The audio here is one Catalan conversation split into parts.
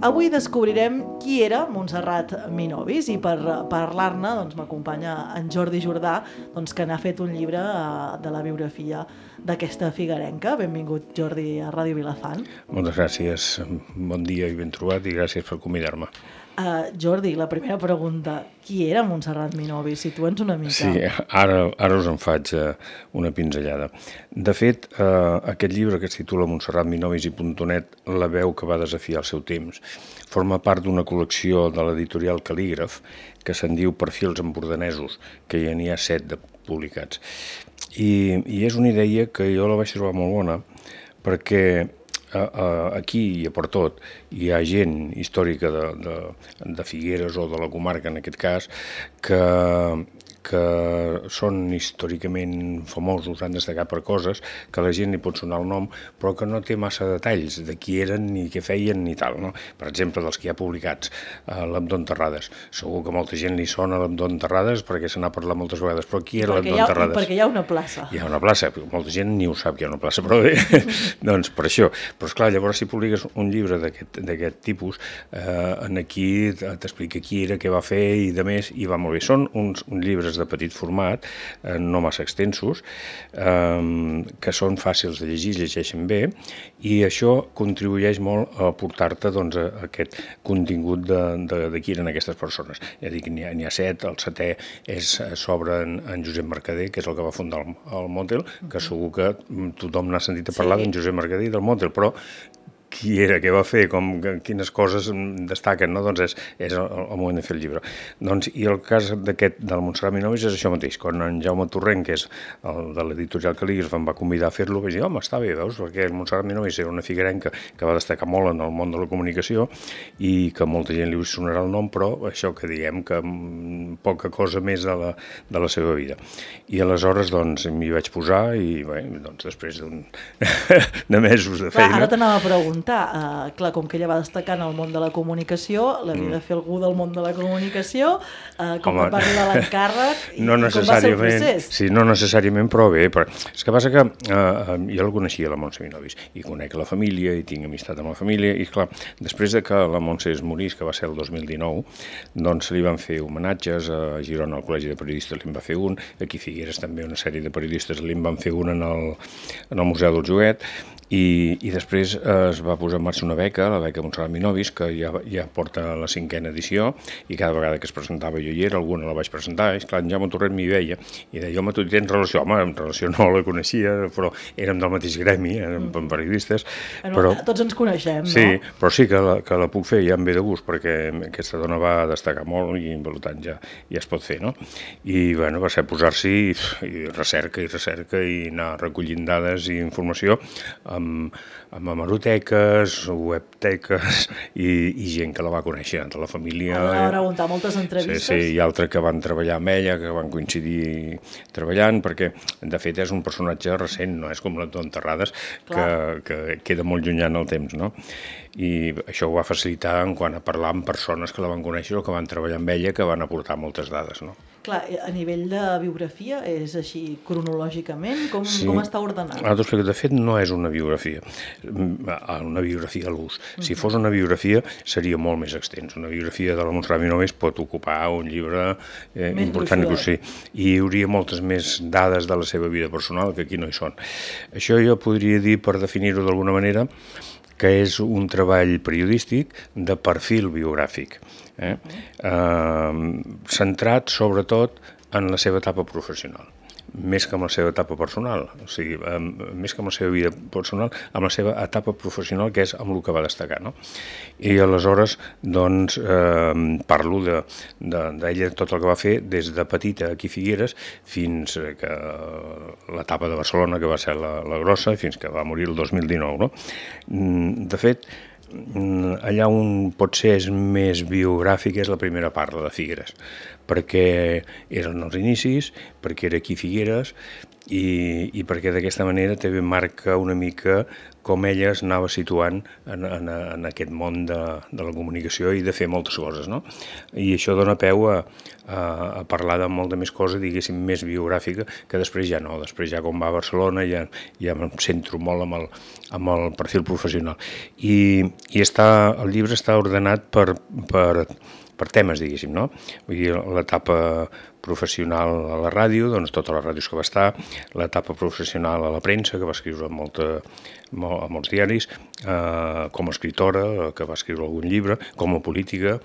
Avui descobrirem qui era Montserrat Minovis i per parlar-ne m'acompanya en Jordi Jordà, que n'ha fet un llibre de la biografia d'aquesta figuerenca. Benvingut, Jordi, a Ràdio Vilafant. Moltes gràcies, bon dia i ben trobat i gràcies per convidar-me. Jordi, la primera pregunta, qui era Montserrat Minovis? Situa'ns una mica. Sí, ara us en faig una pinzellada. De fet, aquest llibre que es titula Montserrat Minovis i .net, la veu que va desafiar el seu temps, forma part d'una col·lecció de l'editorial Cal·lígraf que se'n diu Perfils empordanesos, que ja n'hi ha 7 de publicats. I és una idea que jo la vaig trobar molt bona perquè aquí i a Pertot hi ha gent històrica de Figueres o de la comarca, en aquest cas, que són històricament famosos, han destacat per coses que la gent li pot sonar el nom, però que no té massa detalls de qui eren ni què feien ni tal, no? Per exemple, dels que hi ha publicats, l'Abdó Terrades. Segur que molta gent li sona l'Abdó Terrades perquè se n'ha parlat moltes vegades, però qui era l'Abdó Terrades? Perquè hi ha una plaça. Hi ha una plaça, molta gent ni ho sap que hi ha una plaça, però bé, doncs per això. Però esclar, llavors si publiques un llibre d'aquest tipus, aquí t'explica qui era, què va fer i de més, i va molt bé. Són uns llibres de petit format, no massa extensos, que són fàcils de llegir, llegeixen bé, i això contribueix molt a portar-te aquest contingut de qui eren aquestes persones. Ja dic, n'hi ha 7, el 7è és sobre en Josep Mercader, que és el que va fundar el Motel, que segur que tothom n'ha sentit a parlar d'en Josep Mercader i del Motel, però qui era, què va fer, quines coses destaquen, no? Doncs és el moment de fer el llibre. I el cas del Montserrat Minovis és això mateix. Quan en Jaume Torrent, que és el de l'editorial Cal·lígraf, em va convidar a fer-lo, vaig dir, home, està bé, veus, perquè el Montserrat Minovis era una figuerenca que va destacar molt en el món de la comunicació i que molta gent li sonarà el nom, però això que diguem que poca cosa més de la seva vida. I aleshores, m'hi vaig posar i, bé, després de mesos de feina... Ara t'anava a preguntar, clar, com que ella va destacar en el món de la comunicació, l'havia de fer algú del món de la comunicació, com va arribar l'encàrrec i com va ser el procés? Sí, no necessàriament, però bé. És que passa que jo la coneixia, la Montse Minovis, i conec la família, i tinc amistat amb la família, i clar, després de que la Montse es morís, que va ser el 2019, doncs li van fer homenatges a Girona, al Col·legi de Periodistes li en va fer un, aquí a Figueres també una sèrie de periodistes li en van fer un en el Museu del Joguet, i després es va posar en marxa una beca, la beca Montserrat Minovis, que ja porta la 5a edició, i cada vegada que es presentava jo hi era, alguna la vaig presentar, i esclar, en Jaume Torrent m'hi veia, i deia, home, tu hi tens relació? Home, en relació no la coneixia, però érem del mateix gremi, érem periodistes. Tots ens coneixem, no? Sí, però sí que la puc fer, ja em ve de gust, perquè aquesta dona va destacar molt i, per tant, ja es pot fer, no? I, bueno, va ser posar-s'hi i recerca i anar recollint dades i informació amb hemeroteques, webteques i gent que la va conèixer, de la família. Va preguntar moltes entrevistes. Sí, i altres que van treballar amb ella, que van coincidir treballant, perquè de fet és un personatge recent, no és com l'Abdó Terrades, que queda molt llunyà en el temps, no? I això ho va facilitar en quant a parlar amb persones que la van conèixer o que van treballar amb ella, que van aportar moltes dades, no? Clar, a nivell de biografia és així cronològicament? Com està ordenat? De fet, no és una biografia a l'ús. Si fos una biografia, seria molt més extens. Una biografia de la Montserrat Minovis pot ocupar un llibre important, i hi hauria moltes més dades de la seva vida personal que aquí no hi són. Això jo podria dir, per definir-ho d'alguna manera, que és un treball periodístic de perfil biogràfic, centrat sobretot en la seva etapa professional, més que amb la seva etapa personal, o sigui, més que amb la seva vida personal, amb la seva etapa professional, que és amb el que va destacar, no? I aleshores, doncs, parlo d'ella, tot el que va fer, des de petita aquí a Figueres, fins que l'etapa de Barcelona, que va ser la grossa, fins que va morir el 2019, no? De fet, allà on potser és més biogràfic és la primera part, la de Figueres, perquè eren els inicis, perquè era aquí a Figueres, i perquè d'aquesta manera també marca una mica com ella es anava situant en aquest món de la comunicació i de fer moltes coses, no? I això dona peu a parlar de molta més cosa, diguéssim, més biogràfica, que després ja no. Després ja quan va a Barcelona ja em centro molt amb el perfil professional. I el llibre està ordenat per temes, diguéssim, no? Vull dir, l'etapa professional a la ràdio, doncs totes les ràdios que va estar, l'etapa professional a la premsa, que va escriure a molts diaris, com a escriptora, que va escriure algun llibre, com a política,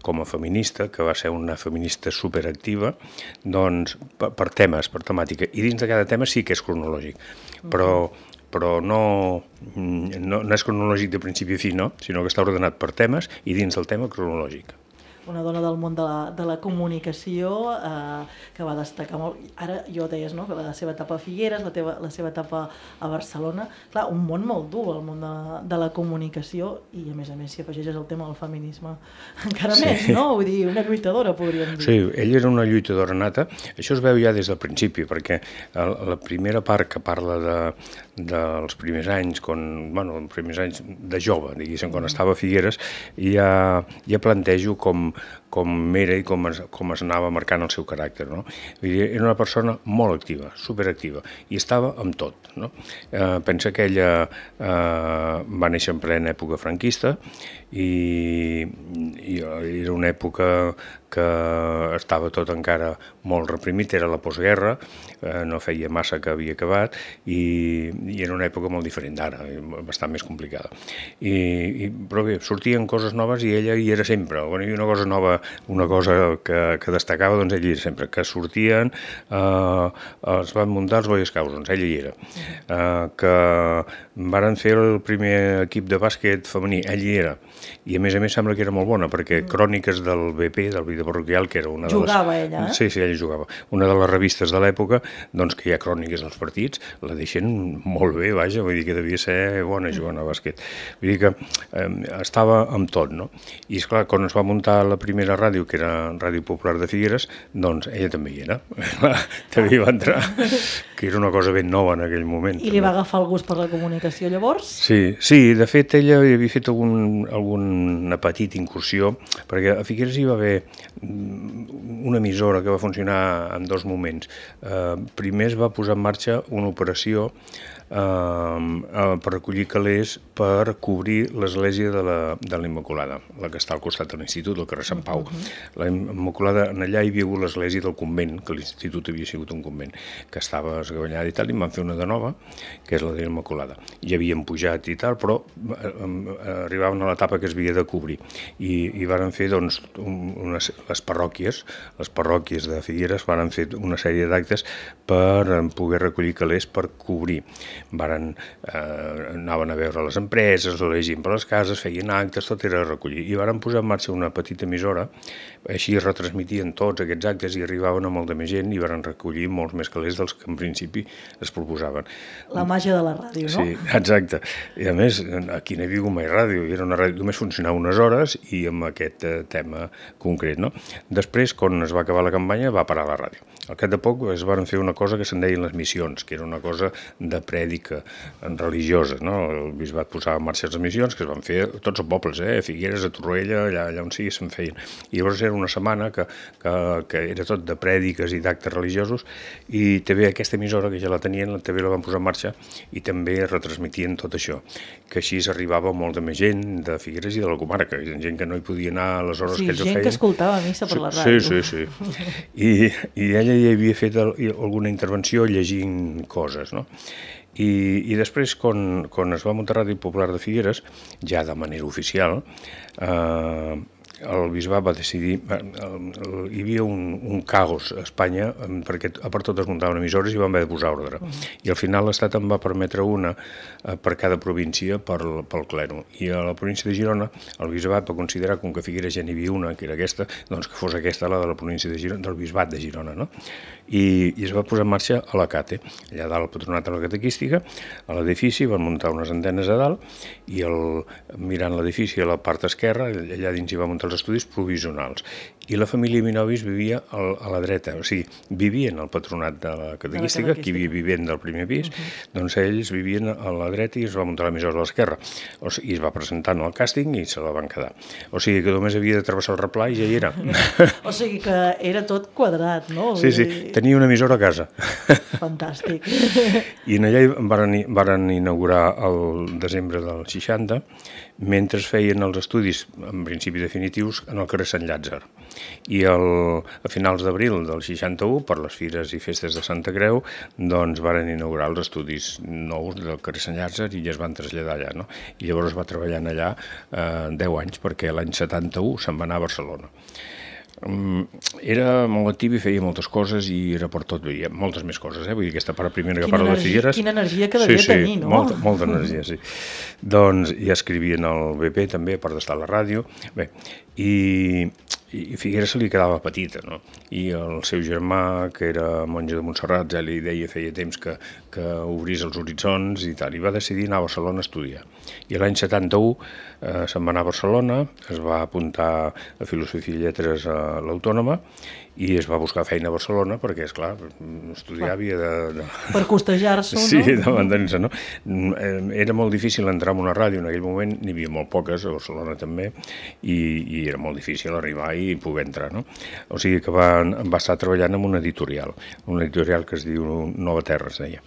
com a feminista, que va ser una feminista superactiva, doncs per temes, per temàtica. I dins de cada tema sí que és cronològic, però no és cronològic de principi a fi, no? Sinó que està ordenat per temes i dins del tema cronològic. Una dona del món de la comunicació que va destacar molt. Ara jo deies, no?, que la seva etapa a Figueres, la seva etapa a Barcelona. Clar, un món molt dur, el món de la comunicació, i a més si afegeixes el tema del feminisme encara més, no? Vull dir, una lluitadora, podríem dir. Sí, ella era una lluitadora nata. Això es veu ja des del principi, perquè la primera part que parla dels primers anys, els primers anys de jove, diguéssim, quan estava a Figueres, ja plantejo com era i com es anava marcant el seu caràcter, no? Vull dir, era una persona molt activa, superactiva, i estava amb tot, no? Pensa que ella va néixer en plena època franquista i era una època que estava tot encara molt reprimit, era la postguerra, no feia massa que havia acabat i era una època molt diferent d'ara, bastant més complicada. Però bé, sortien coses noves i ella hi era sempre. Quan hi havia una cosa nova, una cosa que destacava, doncs ella hi era sempre. Que sortien, es van muntar els Boy Scouts, doncs ella hi era. Que varen fer el primer equip de bàsquet femení, ella hi era. I a més sembla que era molt bona, perquè Cròniques del BP, del Vida Parroquial, que era una de les... Jugava ella, eh? Sí, ella jugava. Una de les revistes de l'època, doncs que hi ha cròniques dels partits, la deixen molt bé, vaja, vull dir que devia ser bona jugant a bàsquet. Vull dir que estava amb tot, no? I esclar, quan es va muntar la primera ràdio, que era Ràdio Popular de Figueres, doncs ella també hi era. També hi va entrar, que era una cosa ben nova en aquell moment. I li va agafar el gust per la comunicació, llavors? Sí, de fet ella havia fet alguna petita incursió, perquè a Figueres hi va haver una emissora que va funcionar en dos moments. Primer es va posar en marxa una operació per recollir calés per cobrir l'església de la Immaculada, la que està al costat de l'Institut, al carrer Sant Pau. La Immaculada, allà hi havia hagut l'església del convent, que l'Institut havia sigut un convent, que estava esgavellada i tal, i en van fer una de nova, que és la de l'Immaculada. Hi havien pujat i tal, però arribaven a l'etapa que es havia de cobrir. I varen fer, doncs, les parròquies de Figueres varen fer una sèrie d'actes per poder recollir calés per cobrir. Anaven a veure les empreses, la gent per les cases, feien actes, tot era recollir. I varen posar en marxa una petita emissora, així retransmitien tots aquests actes i arribaven a molta més gent i varen recollir molts més calés dels que en principi es proposaven. La màgia de la ràdio, no? Sí, exacte. I a més, aquí no hi havia hagut mai ràdio, era una ràdio, només funcionava unes hores i amb aquest tema concret, no? Després, quan es va acabar la campanya, va parar la ràdio. Al cap de poc es van fer una cosa que se'n deien les missions, que era una cosa de prèdica religiosa, no? El bisbat posava en marxa les missions, que es van fer a tots els pobles, a Figueres, a Torroella, allà on sigui se'n feien. I llavors era una setmana que era tot de prèdiques i d'actes religiosos, i també aquesta emissora, que ja la tenien, també la van posar en marxa i també retransmitien tot això, que així arribava molta més gent de Figueres i de la comarca, gent que no hi podia anar a les hores que ells ho feien. Sí, gent que escoltava missa per la ràdio. Sí. I ella hi havia fet alguna intervenció llegint coses, no? I després, quan es va muntar Ràdio Popular de Figueres, ja de manera oficial, el bisbat va decidir, hi havia un caos a Espanya, perquè a part tot es muntaven emissores i van haver de posar ordre. I al final l'Estat en va permetre una per cada província pel clero. I a la província de Girona el bisbat va considerar, com que a Figueres ja n'hi havia una, que era aquesta, doncs que fos aquesta la de la província de Girona, del bisbat de Girona, no? I es va posar en marxa a la CATE, allà dalt al Patronat de la Catequística, a l'edifici, van muntar unes antenes a dalt i mirant l'edifici a la part esquerra, allà dins hi va muntar els estudis provisionals. I la família Minovis vivia a la dreta, o sigui, vivien al patronat de la catequística, qui vivien del primer pis, doncs ells vivien a la dreta i es va muntar l'emissora a l'esquerra. I es va presentar en el càsting i se la van quedar. O sigui que només havia de travessar el replà i ja hi era. O sigui que era tot quadrat, no? Sí, tenia una emissora a casa. Fantàstic. I allà varen inaugurar el desembre del 60, mentre feien els estudis, en principi definitius, en el carrer Sant Llàtzer. I a finals d'abril del 61, per les fires i festes de Santa Creu, doncs varen inaugurar els estudis nous del carrer Sant Llàtzer i ja es van traslladar allà, no? I llavors va treballar allà 10 anys, perquè l'any 71 se'n va anar a Barcelona. Era molt actiu i feia moltes coses i era per tot, veia moltes més coses, vull dir, aquesta part primera que parla de Figueres... Quina energia que devia tenir, no? Molta energia, sí. Doncs ja escrivia en el BP també, a part d'estar a la ràdio, bé, i Figueres se li quedava petita, no? I el seu germà, que era monja de Montserrat, ja li deia feia temps que obrís els horitzons i tal, i va decidir anar a Barcelona a estudiar. I l'any 71 se'n va anar a Barcelona, es va apuntar a Filosofia i Lletres a l'Autònoma i es va buscar feina a Barcelona perquè, esclar, estudiar havia de... Per costejar-s'ho, no? Sí, de mantenir-se, no? Era molt difícil entrar en una ràdio, en aquell moment n'hi havia molt poques, a Barcelona també, i era molt difícil arribar i poder entrar, no? O sigui que va estar treballant en una editorial que es diu Nova Terra, es deia.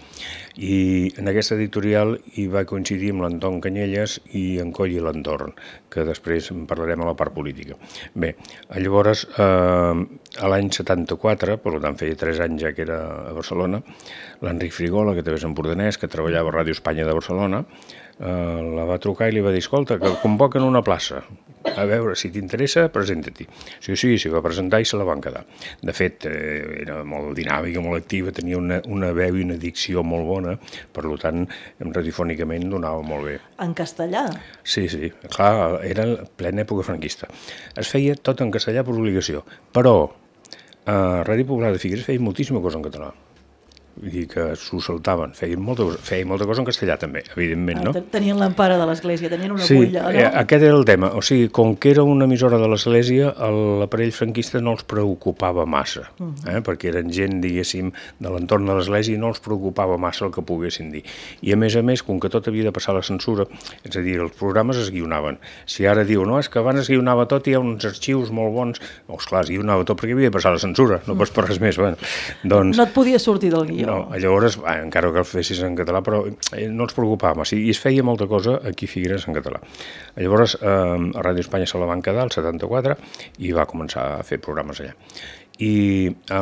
I en aquesta editorial hi va coincidir amb l'Anton Canyelles i en Coll i l'Entorn, que després en parlarem a la part política. Bé, llavors, a l'any 74, per tant feia 3 anys ja que era a Barcelona, l'Enric Frigola, que també és empordanès, que treballava a Ràdio Espanya de Barcelona, la va trucar i li va dir, escolta, que convoquen una plaça, a veure, si t'interessa, presenta-t'hi. Sí, s'hi va presentar i se la van quedar. De fet, era molt dinàmica, molt activa, tenia una veu i una dicció molt bona, per tant, radiofònicament donava molt bé. En castellà? Sí, clar, era plena època franquista. Es feia tot en castellà per obligació, però a Ràdio Popular de Figueres feia moltíssima cosa en català. Vull dir que s'ho saltaven, feien molta cosa en castellà també, evidentment, no? Tenien l'empara de l'Església, tenien una bulla, no? Sí, aquest era el tema, o sigui, com que era una emissora de l'Església, l'aparell franquista no els preocupava massa, perquè eren gent, diguéssim, de l'entorn de l'Església i no els preocupava massa el que poguessin dir. I a més, com que tot havia de passar la censura, és a dir, els programes es guionaven. Si ara diu, no, és que abans es guionava tot i hi ha uns arxius molt bons, esclar, es guionava tot perquè havia de passar la censura, no pas per res més, bueno, doncs... No et podia sortir del guió. No, llavors, encara que el fessis en català, però no els preocupava massa, i es feia molta cosa aquí a Figueres en català. Llavors, a Ràdio Espanya se la van quedar, el 74, i va començar a fer programes allà. I a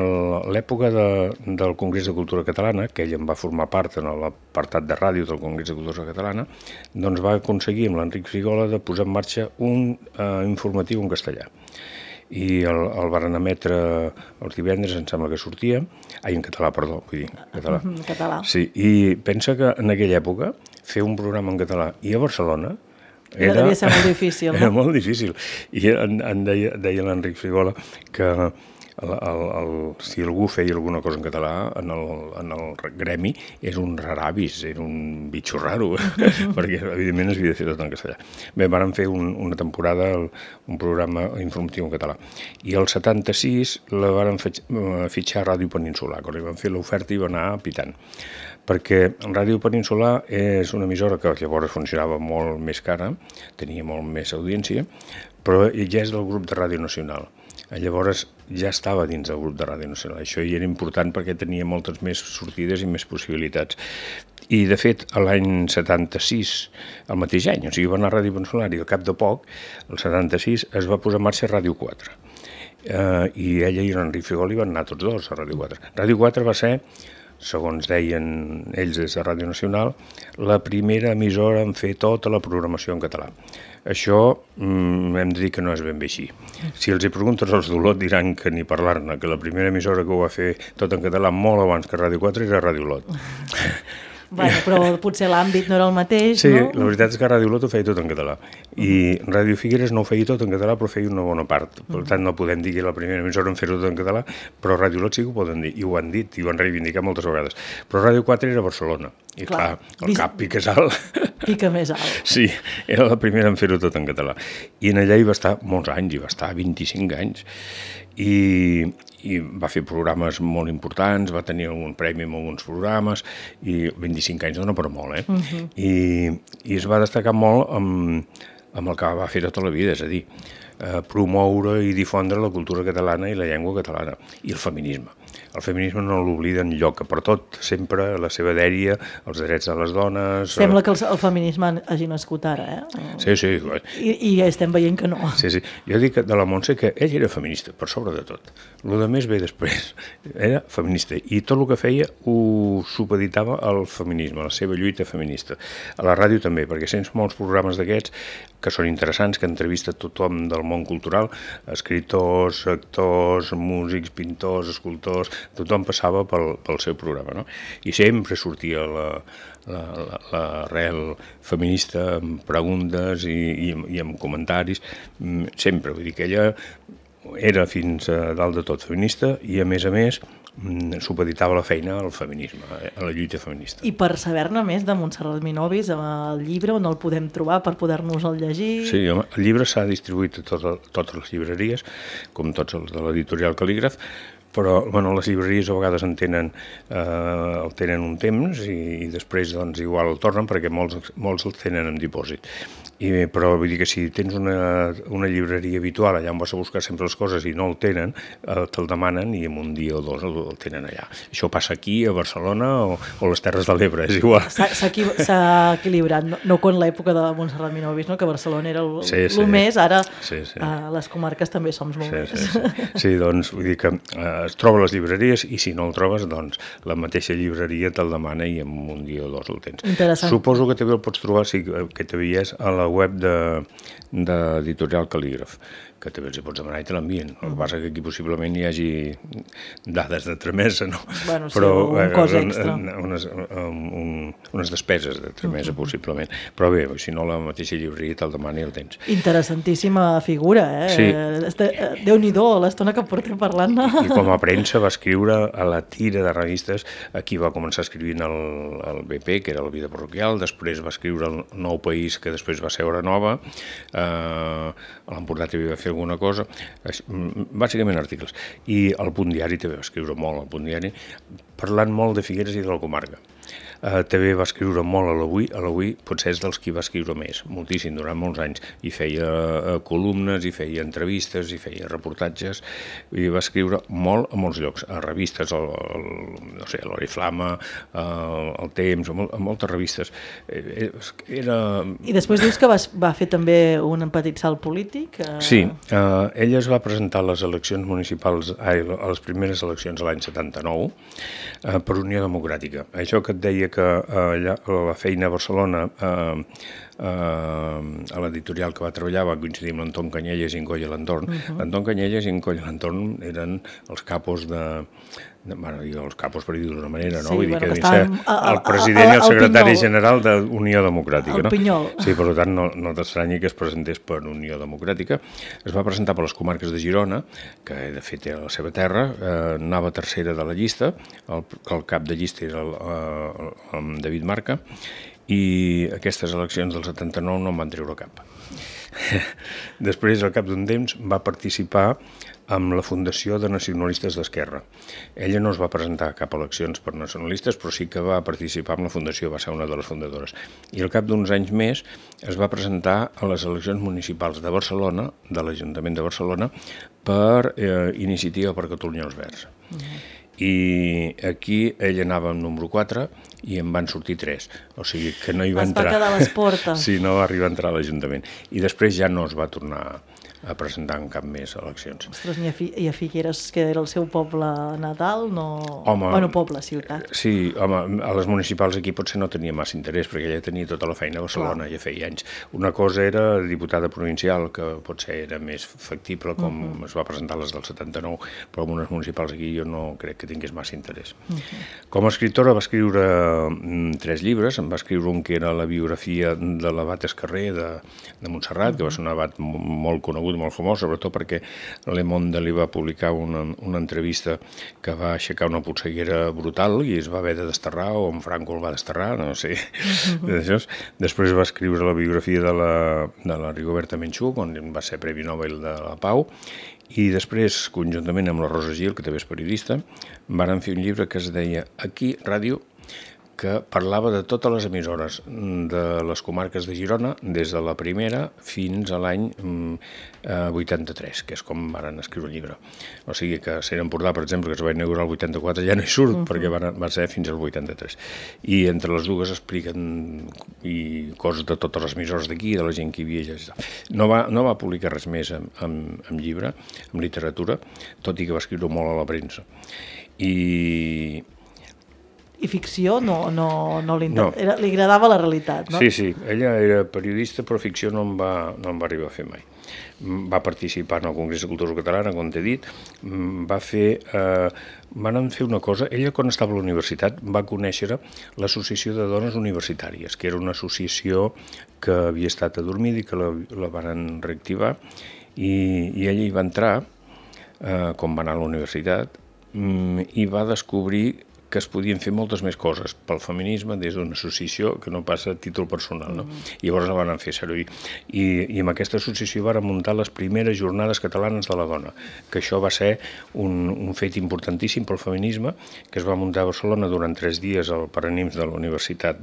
l'època del Congrés de Cultura Catalana, que ell en va formar part en l'apartat de ràdio del Congrés de Cultura Catalana, doncs va aconseguir amb l'Enric Frigola de posar en marxa un informatiu en castellà. I el varen emetre els divendres, em sembla que sortia, en català, perdó, vull dir, català. Català. Sí, i pensa que en aquella època fer un programa en català i a Barcelona devia ser molt difícil, no? Era molt difícil. I deia l'Enric Frigola que si algú feia alguna cosa en català en el gremi és un raravis, era un bitxo raro, perquè evidentment es havia de fer tot en castellà. Bé, vàrem fer una temporada, un programa informatiu en català, i el 76 la vàrem fitxar a Ràdio Peninsular, quan li van fer l'oferta i va anar pitant, perquè Ràdio Peninsular és una emissora que llavors funcionava molt més cara, tenia molt més audiència, però ja és del grup de Ràdio Nacional. Llavors ja estava dins del grup de Ràdio Nacional. Això hi era important perquè tenia moltes més sortides i més possibilitats. I, de fet, l'any 76, el mateix any, o sigui, va anar a Ràdio Peninsular i al cap de poc, el 76, es va posar en marxa Ràdio 4. I ella i l'Enric Frigola van anar tots dos a Ràdio 4. Ràdio 4 va ser, segons deien ells des de Ràdio Nacional, la primera emissora en fer tota la programació en català. Això hem de dir que no és ben bé així. Si els hi preguntes als d'Olot diran que ni parlar-ne, que la primera emissora que ho va fer tot en català molt abans que Ràdio 4 era Ràdio Olot. Bueno, però potser l'àmbit no era el mateix, sí, no? Sí, la veritat és que Ràdio Lot ho feia tot en català. I Ràdio Figueres no ho feia tot en català, però feia una bona part. Per tant, no podem dir que la primera emissora en fer-ho tot en català, però Ràdio Lot sí que ho poden dir, i ho han dit, i ho han reivindicat moltes vegades. Però Ràdio 4 era a Barcelona, i clar el cap pica alt. Pica més alt. Sí, era la primera en fer-ho tot en català. I en allà hi va estar molts anys, hi va estar 25 anys. I va fer programes molt importants, va tenir algun premi en alguns programes, i 25 anys dona per molt, I es va destacar molt amb el que va fer tota la vida, és a dir, promoure i difondre la cultura catalana i la llengua catalana, i el feminisme. El feminisme no l'oblida enlloc, per tot, sempre la seva dèria, els drets de les dones... Sembla que el feminisme hagi nascut ara, Sí, sí. I estem veient que no. Sí, sí. Jo dic de la Montse que ella era feminista, per sobre de tot. El de més ve després. Era feminista, i tot el que feia ho supeditava al feminisme, a la seva lluita feminista. A la ràdio també, perquè sents molts programes d'aquests que són interessants, que entrevista tothom del món cultural, escriptors, actors, músics, pintors, escultors, tothom passava pel seu programa, no? I sempre sortia l'arrel feminista amb preguntes i amb comentaris, sempre, vull dir que ella era fins a dalt de tot feminista i a més supeditava la feina al feminisme, a la lluita feminista. I per saber-ne més de Montserrat Minovis, el llibre, on el podem trobar per poder-nos el llegir? Sí, home, el llibre s'ha distribuït a totes les llibreries, com tots els de l'editorial Cal·lígraf, però bueno, les llibreries a vegades el tenen un temps i després doncs, igual el tornen perquè molts el tenen en dipòsit. Però vull dir que si tens una llibreria habitual allà on vas a buscar sempre les coses i no el tenen, te'l demanen i en un dia o dos el tenen allà. Això passa aquí, a Barcelona o les Terres de l'Ebre, és igual. S'ha equilibrat, no com l'època de Montserrat Minovis, no? Que Barcelona era el més, ara les comarques també som molt més. Sí, doncs vull dir que es troba a les llibreries i si no el trobes, doncs la mateixa llibreria te'l demana i en un dia o dos el tens. Interessant. Suposo que també el pots trobar, sí, que t'havies a la web d'Editorial Cal·lígraf, que també els hi pots demanar i te l'envien. El que passa que aquí possiblement hi hagi dades de tramesa, no? Bueno, sí, un cost extra. Unes despeses de tramesa, possiblement. Però bé, si no, la mateixa llibreria te'l demana i el tens. Interessantíssima figura, Sí. Déu-n'hi-do, l'estona que portem parlant-ne. I com a premsa va escriure a la tira de revistes. Aquí va començar escrivint el BP, que era la Vida Parroquial, després va escriure el Nou País, que després va ser Hora Nova, a l'Empordà també va fer alguna cosa, bàsicament articles. I el Punt Diari també va escriure molt, el Punt Diari, parlant molt de Figueres i de la comarca. També va escriure molt a l'Avui potser és dels qui va escriure més, moltíssim, durant molts anys, i feia columnes, i feia entrevistes, i feia reportatges, i va escriure molt a molts llocs, a revistes, no sé, l'Oriflama, el Temps, a moltes revistes. I després dius que va fer també un petit salt polític? Sí, ella es va presentar a les eleccions municipals, a les primeres eleccions de l'any 79, per Unió Democràtica. Això que et deia que la feina a Barcelona, a l'editorial que va treballar, va coincidir amb l'Anton Canyelles i en Coll Alentorn. L'Anton Canyelles i en Coll Alentorn eren els capos els capos per dir-ho d'una manera, no? Sí, vull dir que el president i el secretari general d'Unió Democràtica, no? El Pinyol. Sí, per tant, no t'estranyi que es presentés per Unió Democràtica. Es va presentar per les comarques de Girona, que de fet era la seva terra, anava tercera de la llista, el cap de llista era el David Marca, i aquestes eleccions del 79 no en van treure cap. Després, al cap d'un temps, va participar amb la Fundació de Nacionalistes d'Esquerra. Ella no es va presentar a cap eleccions per nacionalistes, però sí que va participar amb la Fundació, va ser una de les fundadores. I al cap d'uns anys més es va presentar a les eleccions municipals de Barcelona, de l'Ajuntament de Barcelona, per Iniciativa per Catalunya els Verds. I aquí ell anava amb número 4 i en van sortir 3, o sigui que no hi va entrar. Es va quedar a les portes. Sí, no va arribar a entrar a l'Ajuntament. I després ja no es va tornar presentant cap més eleccions. Ostres, i a Figueres, que era el seu poble natal, no... Home, bueno, poble, ciutat. Sí, home, a les municipals aquí potser no tenia massa interès, perquè ella tenia tota la feina a Barcelona, ja feia anys. Una cosa era diputada provincial, que potser era més factible, com es va presentar les del 79, però en unes municipals aquí jo no crec que tingués massa interès. Com a escriptora va escriure 3 llibres, em va escriure un que era la biografia de l'abat Escarrer de Montserrat, que va ser un abat molt conegut, molt famós, sobretot perquè Le Monde li va publicar una entrevista que va aixecar una polseguera brutal i es va haver de desterrar, o en Franco el va desterrar, no sé. Després va escriure la biografia de la Rigoberta Menchú, on va ser Premi Nobel de la Pau, i després, conjuntament amb la Rosa Gil, que també és periodista, varen fer un llibre que es deia Aquí, Ràdio, que parlava de totes les emissores de les comarques de Girona, des de la primera fins a l'any 83, que és com van escriure el llibre. O sigui que Ser Empordà, per exemple, que es va inaugurar el 84, ja no hi surt, perquè va ser fins al 83. I entre les dues expliquen coses de totes les emissores d'aquí, de la gent que hi havia. No va publicar res més en llibre, en literatura, tot i que va escriure molt a la premsa. I ficció no li agradava la realitat, no? Sí, ella era periodista, però ficció no en va arribar a fer mai. Va participar en el Congrés de Cultura Catalana, com t'he dit, van fer una cosa. Ella, quan estava a la universitat, va conèixer l'Associació de Dones Universitàries, que era una associació que havia estat adormida i que la van reactivar, i ella hi va entrar, quan va anar a la universitat, i va descobrir que es podien fer moltes més coses pel feminisme des d'una associació que no passa a títol personal, no? I llavors la van fer servir. I amb aquesta associació van muntar les primeres jornades catalanes de la dona, que això va ser un fet importantíssim pel feminisme, que es va muntar a Barcelona durant 3 dies al Paranims de la universitat,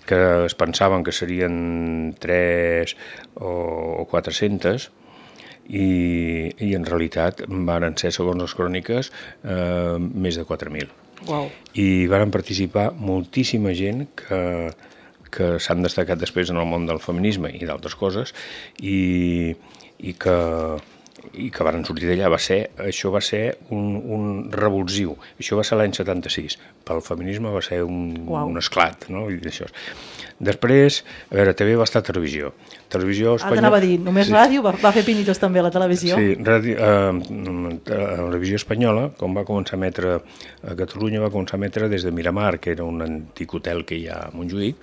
que es pensaven que serien 3 o 400, i en realitat varen ser, segons les cròniques, més de 4.000. Wow. I varen participar moltíssima gent que s'han destacat després en el món del feminisme i d'altres coses, i que varen sortir d'allà. Això va ser un revulsiu. Això va ser l'any 76. Pel feminisme va ser un esclat, no? I això. Després, a veure, també va estar a televisió. Televisió espanyola... T'anava a dir, només ràdio? Va fer pinitos també a la televisió? Sí, televisió espanyola, com va començar a emetre a Catalunya, va començar a emetre des de Miramar, que era un antic hotel que hi ha a Montjuïc,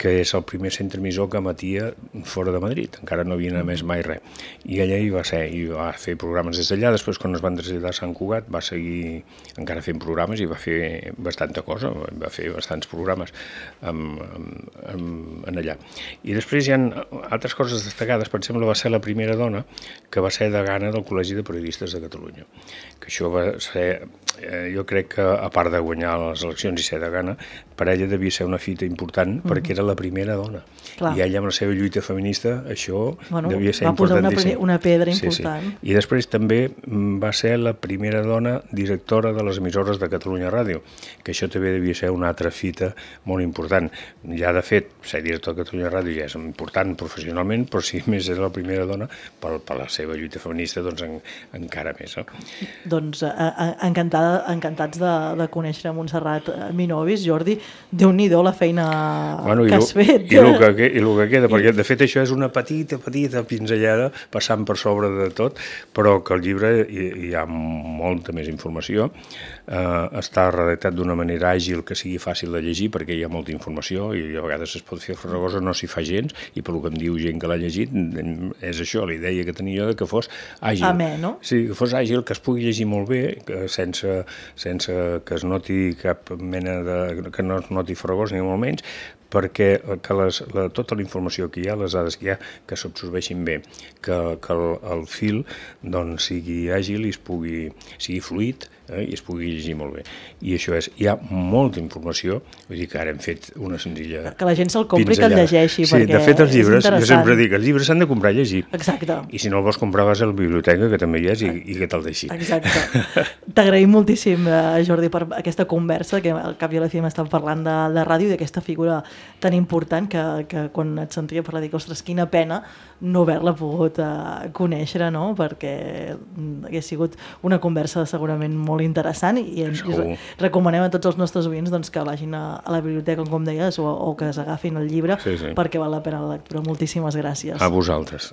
que és el primer centre emissor que emetia fora de Madrid, encara no havia emès mai res. I allà hi va ser, i va fer programes des d'allà. Després, quan es van traslladar a Sant Cugat, va seguir encara fent programes i va fer bastanta cosa, va fer bastants programes en allà. I després hi ha altres coses destacades. Per exemple, va ser la primera dona que va ser degana del Col·legi de Periodistes de Catalunya, que això va ser, jo crec que a part de guanyar les eleccions i ser degana, per ella devia ser una fita important, perquè era la primera dona. Clar. I ella, amb la seva lluita feminista, això devia ser importantíssim. Va posar una pedra important. Sí. I després també va ser la primera dona directora de les emissores de Catalunya Ràdio, que això també devia ser una altra fita molt important. Ja, de fet, ser director de Catalunya Ràdio ja és important professionalment, però si més és la primera dona, per la seva lluita feminista, doncs encara més. No? Doncs encantats de conèixer Montserrat Minovis. Jordi, Déu-n'hi-do la feina que has fet. I el que queda, perquè de fet això és una petita pinzellada passant per sobre de tot, però que al llibre hi ha molta més informació. Està redactat d'una manera àgil que sigui fàcil de llegir, perquè hi ha molta informació i a vegades es pot fer farragosa, no s'hi fa gens, i per el que em diu gent que l'ha llegit, és això, la idea que tenia jo de que fos àgil. Amè, no? Sí, que fos àgil, que es pugui llegir molt bé, sense que es noti cap mena que no es noti farragós ni molt menys, perquè tota la informació que hi ha, les dades que hi ha, que s'absorbeixin bé, que el fil doncs, sigui àgil i sigui fluid, i es pugui llegir molt bé. I això és, hi ha molta informació, vull dir que ara hem fet una senzilla... Que la gent se'l compri i que el llegeixi, sí, de fet, els llibres, jo sempre dic, els llibres s'han de comprar i llegir. Exacte. I si no el vols comprar, vas a la biblioteca, que també hi és, i que te'l deixi. Exacte. T'agraïm moltíssim, Jordi, per aquesta conversa, que al cap i a la fi m'estàvem parlant de ràdio i d'aquesta figura tan important que quan et sentia parlar dic, ostres, quina pena no haver-la pogut conèixer, no? Perquè hagués sigut una conversa segurament molt interessant i recomanem a tots els nostres oients doncs, que vagin a la biblioteca, com deies, o que s'agafin el llibre, perquè val la pena la lectura. Moltíssimes gràcies. A vosaltres.